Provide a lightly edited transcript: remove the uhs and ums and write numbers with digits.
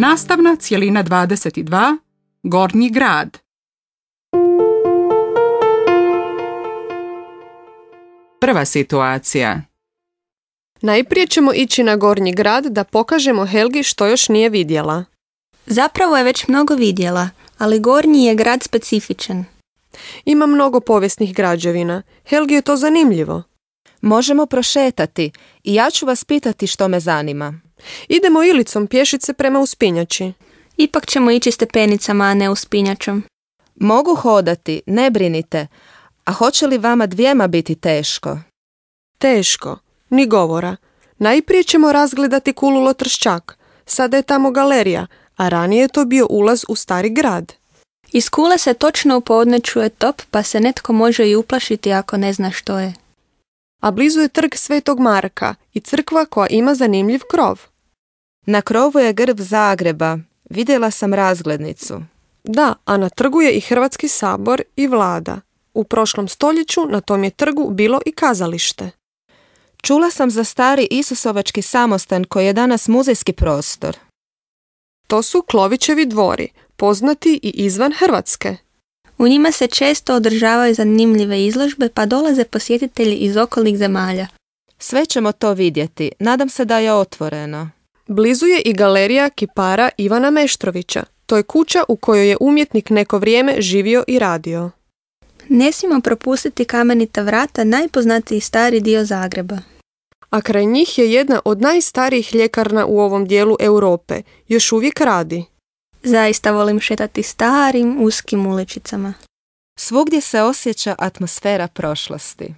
Nastavna cjelina 22, Gornji grad. Prva situacija. Najprije ćemo ići na Gornji grad da pokažemo Helgi što još nije vidjela. Zapravo je već mnogo vidjela, ali Gornji je grad specifičan. Ima mnogo povijesnih građevina. Helgi je to zanimljivo. Možemo prošetati i ja ću vas pitati što me zanima. Idemo Ilicom pješice prema uspinjači. Ipak ćemo ići stepenicama, a ne uspinjačom. Mogu hodati, ne brinite. A hoće li vama dvijema biti teško? Teško, ni govora. Najprije ćemo razgledati Kulu Lotrščak. Sada je tamo galerija, a ranije je to bio ulaz u stari grad. Iz Kule se točno u podne čuje top, pa se netko može i uplašiti ako ne zna što je. A blizu je trg Svetog Marka i crkva koja ima zanimljiv krov. Na krovu je grb Zagreba. Vidjela sam razglednicu. Da, a na trgu je i Hrvatski sabor i vlada. U prošlom stoljeću na tom je trgu bilo i kazalište. Čula sam za stari Isusovački samostan koji je danas muzejski prostor. To su Klovićevi dvori, poznati i izvan Hrvatske. U njima se često održavaju zanimljive izložbe, pa dolaze posjetitelji iz okolnih zemalja. Sve ćemo to vidjeti. Nadam se da je otvoreno. Blizu je i galerija kipara Ivana Meštrovića. To je kuća u kojoj je umjetnik neko vrijeme živio i radio. Ne smijemo propustiti Kamenita vrata, najpoznatiji stari dio Zagreba. A kraj njih je jedna od najstarijih ljekarna u ovom dijelu Europe. Još uvijek radi. Zaista volim šetati starim, uskim uličicama. Svugdje se osjeća atmosfera prošlosti.